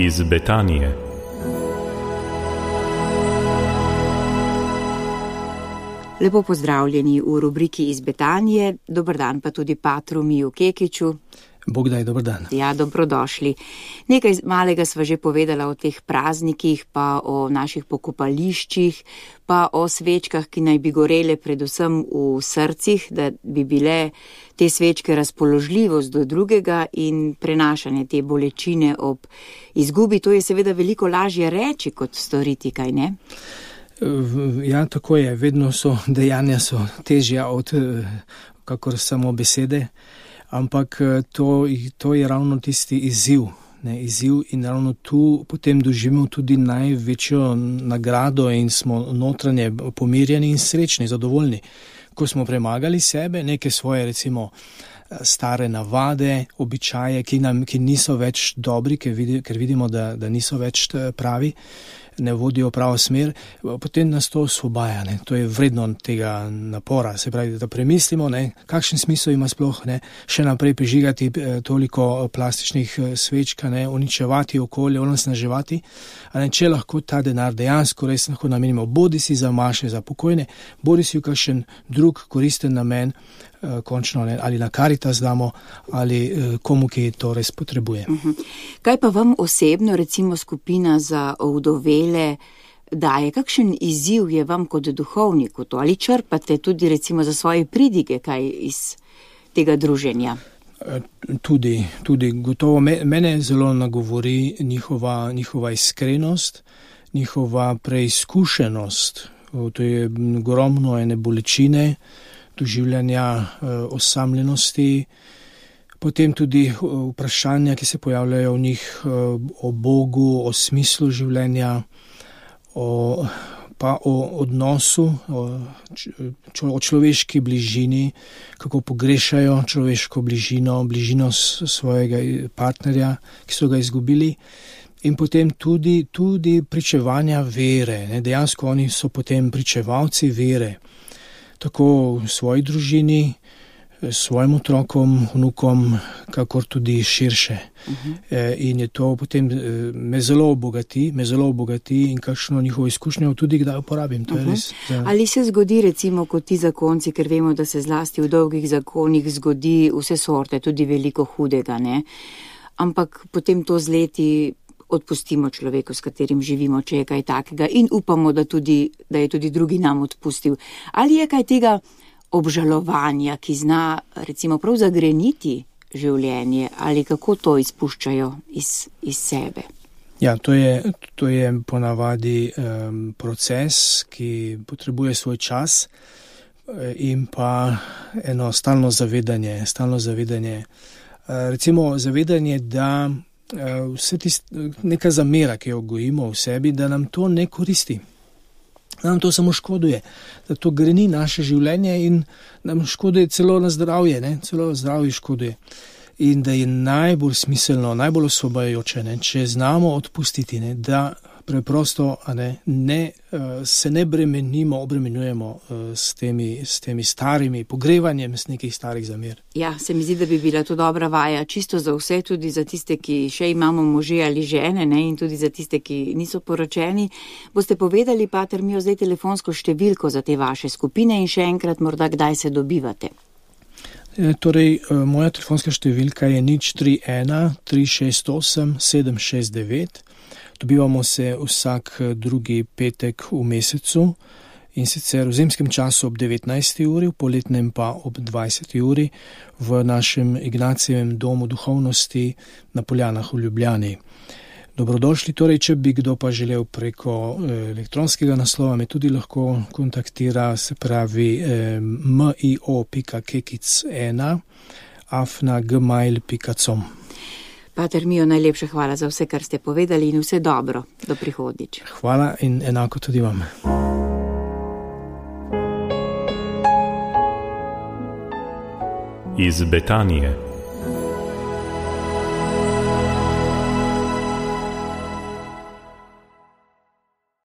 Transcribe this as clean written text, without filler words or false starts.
Iz Betanije. Lepo pozdravljeni v rubriki Iz Betanije. Dober dan pa tudi patru Miju Kekiću. Bog daj, dober dan. Ja, dobrodošli. Nekaj malega sva že povedala o teh praznikih, pa o naših pokopališčih, pa o svečkah, ki naj bi gorele predvsem v srcih, da bi bile te svečke razpoložljivost do drugega in prenašanje te bolečine ob izgubi. To je seveda veliko lažje reči, kot storiti, kaj ne? Ja, tako je. Vedno so dejanja težja od kakor samo besede. Ampak to je ravno tisti izziv in ravno tu potem doživimo tudi največjo nagrado in smo notranje pomirjeni in srečni, zadovoljni. Ko smo premagali sebe, neke svoje recimo stare navade, običaje, ki niso več dobri, ker vidimo, da niso več pravi, ne vodijo pravo smer, potem nas to osvobaja. To je vredno tega napora. Se pravi, da premislimo, kakšen smisel ima sploh še naprej prižigati toliko plastičnih svečk, uničevati okolje, onesnaževati. Če lahko ta denar dejansko res lahko namenimo bodisi za maše, za pokojne, bodisi v kakšen drug koristen namen, končno ali na Karitas damo, ali komu, ki to res potrebuje. Kaj pa vam osebno, recimo skupina za ovdovele, daje? Kakšen izziv je vam kot duhovniku to? Ali črpate tudi recimo za svoje pridige kaj iz tega druženja? Tudi gotovo. Mene zelo nagovori njihova iskrenost, njihova preizkušenost. To je ogromno ene bolečine, doživljanja osamljenosti, potem tudi vprašanja, ki se pojavljajo v njih o Bogu, o smislu življenja, pa o odnosu, o človeški bližini, kako pogrešajo človeško bližino svojega partnerja, ki so ga izgubili. In potem tudi pričevanja vere. Dejansko oni so potem pričevalci vere. Tako v svoji družini, svojim otrokom, vnukom, kakor tudi širše. In je to potem me zelo obogati in kakšno njihovo izkušnjo tudi kdaj uporabim. To je res. Ali se zgodi recimo kot ti zakonci, ker vemo, da se zlasti v dolgih zakonih zgodi vse sorte, tudi veliko hudega, ampak potem to z leti odpustimo človeku, s katerim živimo, če je kaj takega, in upamo, da je tudi drugi nam odpustil. Ali je kaj tega obžalovanja, ki zna recimo prav zagreniti življenje, ali kako to izpuščajo iz sebe? Ja, to je ponavadi proces, ki potrebuje svoj čas in pa eno stalno zavedanje. Recimo zavedanje, da neka zamera, ki jo gojimo v sebi, da nam to ne koristi, da nam to samo škoduje, da to greni naše življenje in nam škoduje celo na zdravje, celo zdravje škoduje. In da je najbolj smiselno, najbolj osvobajajoče, če znamo odpustiti, da preprosto se ne obremenjujemo s temi starimi pogrevanjem, s nekih starih zamer. Ja, se mi zdi, da bi bila to dobra vaja, čisto za vse, tudi za tiste, ki še imamo može ali žene, in tudi za tiste, ki niso poročeni. Boste povedali, pater Mijo, zdaj telefonsko številko za te vaše skupine in še enkrat morda kdaj se dobivate? Torej, moja telefonska številka je 031 368 769. Dobivamo se vsak drugi petek v mesecu in sicer v zimskem času ob 19. uri, v poletnem pa ob 20. uri v našem Ignacijevem domu duhovnosti na Poljanah v Ljubljani. Dobrodošli, torej, če bi kdo pa želel preko elektronskega naslova, me tudi lahko kontaktira, se pravi mio.kekic1@gmail.com. Pater Mijo, najlepša hvala za vse, kar ste povedali in vse dobro do prihodnjič. Hvala in enako tudi vam. Iz Betanije.